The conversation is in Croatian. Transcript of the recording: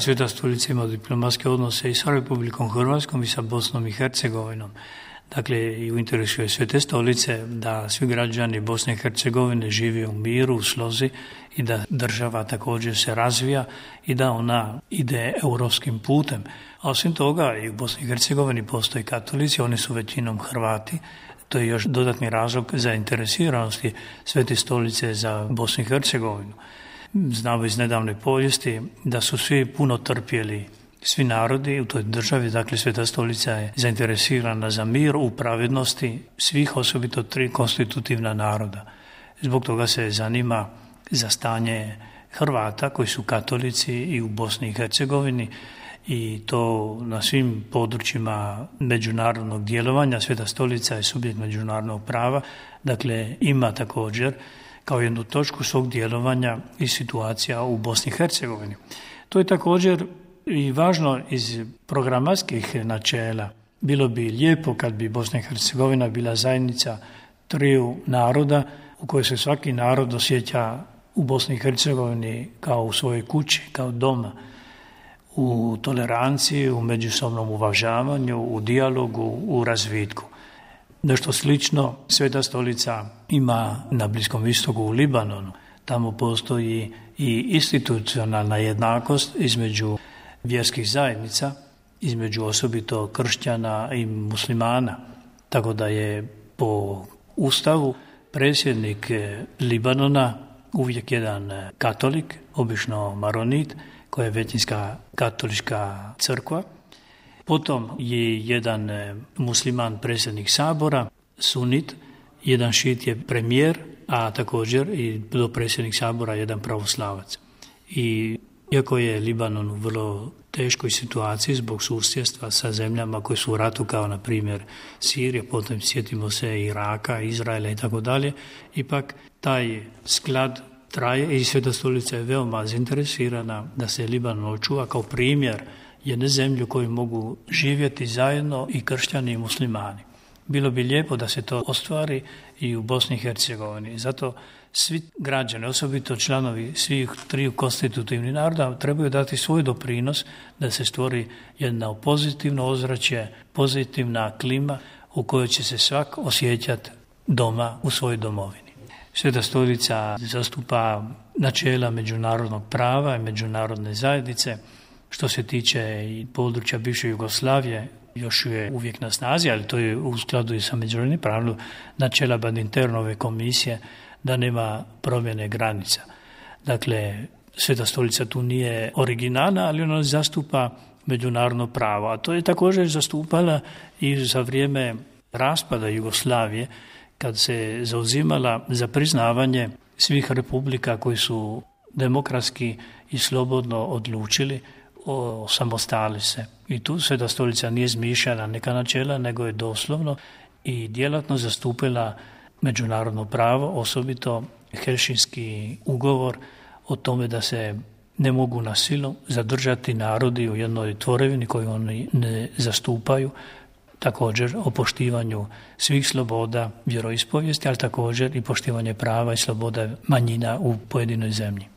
Sveta stolica ima diplomatske odnose i sa Republikom Hrvatskom i sa Bosnom i Hercegovinom. Dakle, i u interesu je Svete stolice da svi građani Bosne i Hercegovine žive u miru, u slozi i da država također se razvija i da ona ide europskim putem. A osim toga i u Bosni i Hercegovini postoji katolici, oni su većinom Hrvati. To je još dodatni razlog zainteresiranosti Svete stolice za Bosnu i Hercegovinu. Znamo iz nedavne povijesti da su svi puno trpjeli, svi narodi u toj državi, dakle Sveta stolica je zainteresirana za mir u pravednosti svih, osobito 3 konstitutivna naroda. Zbog toga se zanima za stanje Hrvata koji su katolici i u Bosni i Hercegovini i to na svim područjima međunarodnog djelovanja. Sveta stolica je subjekt međunarodnog prava, dakle ima također kao jednu točku svog djelovanja i situacija u Bosni i Hercegovini. To je također i važno iz programatskih načela. Bilo bi lijepo kad bi Bosna i Hercegovina bila zajednica 3 naroda u kojoj se svaki narod osjeća u Bosni i Hercegovini kao u svojoj kući, kao doma, u toleranciji, u međusobnom uvažavanju, u dijalogu, u razvitku. Nešto slično Sveta stolica ima na Bliskom istoku u Libanonu. Tamo postoji i institucionalna jednakost između vjerskih zajednica, između osobito kršćana i muslimana. Tako da je po Ustavu predsjednik Libanona uvijek jedan katolik, obično maronit, koja je većinska katolička crkva. Potom je jedan musliman predsjednik sabora, sunit, jedan šit je premijer, a također i predsjednik sabora jedan pravoslavac. I iako je Libanon u vrlo teškoj situaciji zbog susjedstva sa zemljama koje su u ratu, kao na primjer Sirija, potom sjetimo se Iraka, Izraela i tako dalje, ipak taj sklad traje i Sveta stolica je veoma zainteresirana da se Libanon očuva kao primjer jedne zemlje u kojoj mogu živjeti zajedno i kršćani i muslimani. Bilo bi lijepo da se to ostvari i u Bosni i Hercegovini. Zato svi građani, osobito članovi svih 3 konstitutivnih naroda, trebaju dati svoj doprinos da se stvori jedno pozitivno ozračje, pozitivna klima u kojoj će se svak osjećati doma u svojoj domovini. Sveta stolica zastupa načela međunarodnog prava i međunarodne zajednice. Što se tiče i područja bivše Jugoslavije, još je uvijek na snazi, ali to je u skladu i sa međunarodnim pravom načela Badinternove komisije da nema promjene granica. Dakle, Sveta stolica tu nije originalna, ali ona zastupa međunarodno pravo. A to je također zastupala i za vrijeme raspada Jugoslavije, kad se zauzimala za priznavanje svih republika koji su demokratski i slobodno odlučili osamostali se. I tu Sveta stolica nije izmišljala neka načela, nego je doslovno i djelatno zastupila međunarodno pravo, osobito Helsinški ugovor o tome da se ne mogu na silu zadržati narodi u jednoj tvorevini koju oni ne zastupaju, također o poštivanju svih sloboda vjeroispovijesti, ali također i poštivanje prava i sloboda manjina u pojedinoj zemlji.